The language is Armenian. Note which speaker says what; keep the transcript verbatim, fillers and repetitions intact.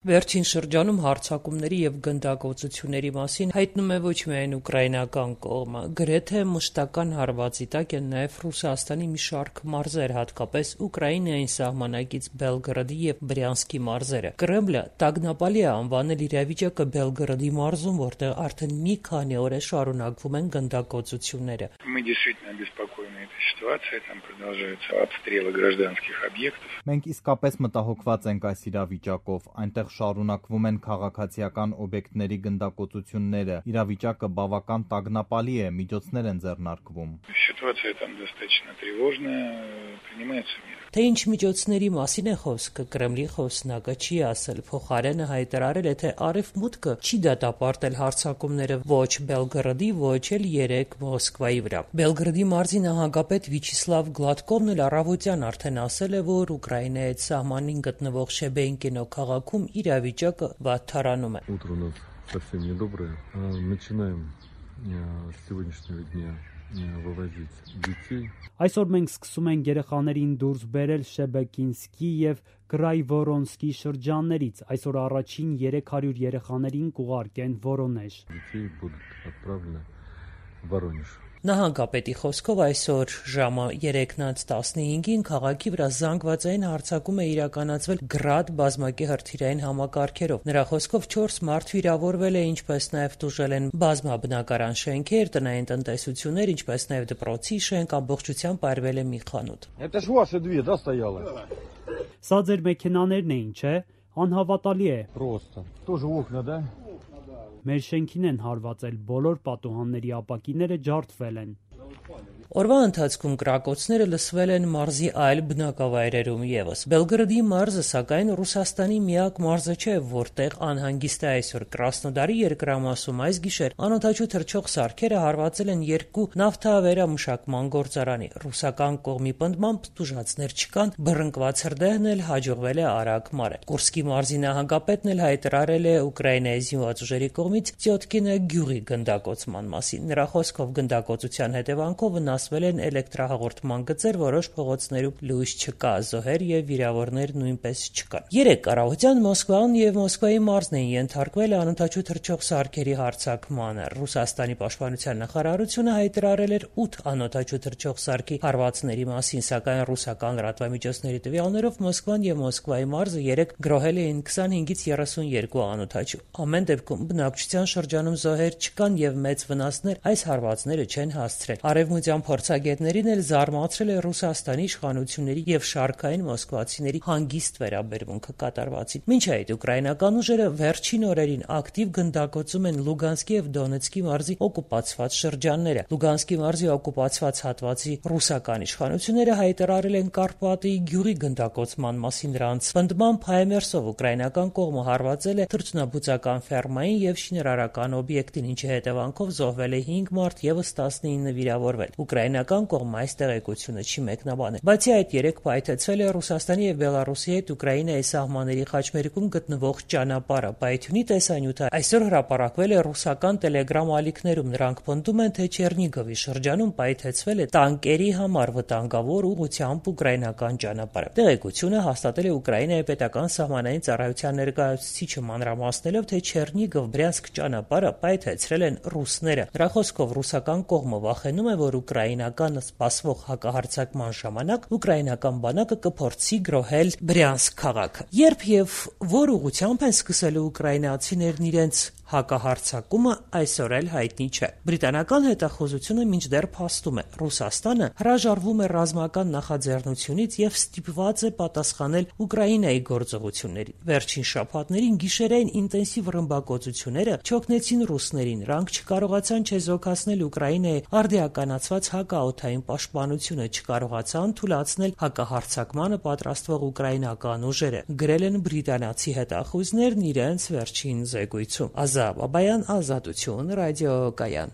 Speaker 1: Վերջին շրջանում հարձակումների և գնդակոծությունների մասին հայտնում է ոչ միայն ուկրաինական կողմը, գրեթե մշտական հարվածի տակ են նաև Ռուսաստանի մի շարք մարզեր, հատկապես Ուկրաինային սահմանակից Բելգորոդի և Բրյանսկի մարզերը։ Կրեմլը տագնապալի է անվանել իրավիճակը Բելգորոդի մարզում, որտեղ արդեն մի քանի օր է շարունակվում են գնդակոծությունները։
Speaker 2: Մենք իսկապես մտահոգված ենք այս իրավիճակով, այնտեղ շարունակվում են քաղաքացիական օբյեկտների գնդակոծությունները, իրավիճակը բավական տագնապալի է, միջոցներ են ձեռնարկվում։
Speaker 1: Թե ինչ միջոցների մասին է խոսքը, Կրեմլի խոսնակը չի ասել, փոխարենը հայտարարել է, թե Արևմուտքը չի դատապարտել հարձակումները ոչ Բելգորոդի, ոչ էլ երեկ Մոսկվայի վրա։ Բելգորոդի մարզի նահանգապետ Վիաչեսլավ Գլադկովն էլ առավոտյան արդեն ասել է, որ Ուկրաինայի հետ սահմանին գտնվող Շեբեինկինո քաղաքում իրավիճակը վատթարանում է։
Speaker 3: Այսօր մենք սկսում ենք երեխաներին դուրս բերել Շեբեկինսկի և Կրայվորոնսկի շրջաններից։ Այսօր առաջին երեք հարյուր երեխաներին կուղարկեն Վորոնեժ։
Speaker 1: Նահանգապետի խոսքով այսօր ժամը երեքն անց տասնհինգին քաղաքի վրա զանգվածային հարձակում է իրականացվել Գրադ բազմակի հրթիռային համակարգերով։ Նրա խոսքով չորս մարդ վիրավորվել է, ինչպես նաև տուժել են բազմաբնակարան շենքեր, տնային տնտեսություններ, ինչպես նաև դպրոցի շենք, ամբողջությամբ արվել է մի խանութ։
Speaker 3: Սա ձեր մեքենաներն էին, չէ՞։ Անհավատալի է։ Մեր շենքին են հարվածել, բոլոր պատուհանների ապակիները ջարդվել են։
Speaker 1: Օրվա ընթացքում կրակոցները լսվել են մարզի այլ բնակավայրերում ևս։ Բելգորոդի մարզը, սակայն, Ռուսաստանի միակ մարզը չէ, որտեղ անհանգիստ է այսօր։ Կրասնոդարի երկրամասում այս գիշեր անօդաչու թռչող սարքերը հարվածել են երկու նավթավերամշակման գործարանի։ Ռուսական կողմի պնդմամբ տուժածներ չկան, բռնկված հրդեհն էլ հաջողվել է արագ մարել։ Կուրսկի մարզի նահանգապետն էլ հայտարարել է Ուկրաինայի զինված ուժերի կողմից Տյոտկինը գյուղի գնդակոծման մասին։ Նրա խոսքով գնդակոծության հետևանքով վնասվել են էլեկտրահաղորդման գծեր, որոշ փողոցներում լույս չկա, զոհեր և վիրավորներ նույնպես չկան։ Երեկ առավոտյան Մոսկվան և Մոսկվայի մարզն էին ենթարկվել անօդաչու թռչող սարքերի հարձակմանը։ Ռուսաստանի պաշտպանության նախարարությունը հայտարարել էր ութ անօդաչու թռչող սարքի հարվածների մասին, սակայն ռուսական լրատվամիջոցների տվյալներով Մոսկվան և Մոսկվայի մարզը երեկ գրոհել էին քսանհինգից երեսունյոթ անօդաչու։ Ամեն դեպքում բնակչության շրջանում զոհեր չկան և մեծ վնասներ այս հարվածները չեն հասցրել։ Արևմտյան փորձագետներին էլ զարմացրել է Ռուսաստանի իշխանությունների և շարքային մոսկվացիների հանգիստ վերաբերմունքը կատարվածին։ Մինչ այդ ուկրաինական ուժերը վերջին օրերին ակտիվ գնդակոծում են Լուգանսկի և Դոնեցկի մարզի օկուպացված շրջանները։ Լուգանսկի մարզի օկուպացված հատվածի ռուսական իշխանությունները հայտարարել են Կարպատի գյուղի գնդակոծման մասին։ Նրանց պնդմամբ Հայմերսով ուկրաինական կողմը հարվածել է թռչնաբուծական ֆերմային և շինարարական օբյեկտին, ինչի հետևանքով զոհվել է հինգ մարդ, ևս տասնինը վիրավորվել։ Ուկրաինական կողմը այս տեղեկությունը չի մեկնաբանել։ Բացի այդ, երեկ պայթեցվել է Ռուսաստանի և Բելառուսի հետ Ուկրաինայի սահմանների խաչմերուկում գտնվող ճանապարհը։ Պայթյունի տեսանյութը այսօր հրապարակվել է ռուսական տելեգրամ ալիքներում։ Նրանք պնդում են, թե Չեռնիգովի շրջանում պայթեցվել է տանկերի համար վտանգավոր ուղղությամբ ուկրաինական ճանապարհը։ Տեղեկությունը հաստատել է Ուկրաինայի պետական սահմանային ծառայության ներկայացուցիչը, մանրամասնելով, թե Չեռնիգով-Բրյանսկ ճանապարհը պայթեցրել են ռուսները։ Նրա խոսքով ռուսական կողմը վախենում է, որ ուկրաինականը սպասվող հակահարձակման ժամանակ ուկրաինական բանակը կփորձի գրոհել Բրյանսկ քաղաքը։ Երբ և որ ուղղությամբ են սկսելու ուկրաինացիներն իրենց հակահարձակումը, այսօր էլ հայտնի չէ։ Բրիտանական հետախուզությունը մինչդեռ փաստում է։ Ռուսաստանը հրաժարվում է ռազմական նախաձեռնությունից և ստիպված է պատասխանել Ուկրաինայի գործողություններին։ Վերջին շաբաթներին գիշերային ինտենսիվ ռմբակոծությունները չօգնեցին ռուսներին։ Նրանք չկարողացան չեզոքացնել Ուկրաինայի արդիականացված հակաօդային պաշտպանությունը, չկարողացան թուլացնել հակահարձակմանը պատրաստվող ուկրաինական ուժերը, գրել են բրիտանացի հետախույզներն իրենց վերջին զեկույցում։ Ազատ Բաբայան, Ազատություն, ռադիոկայան։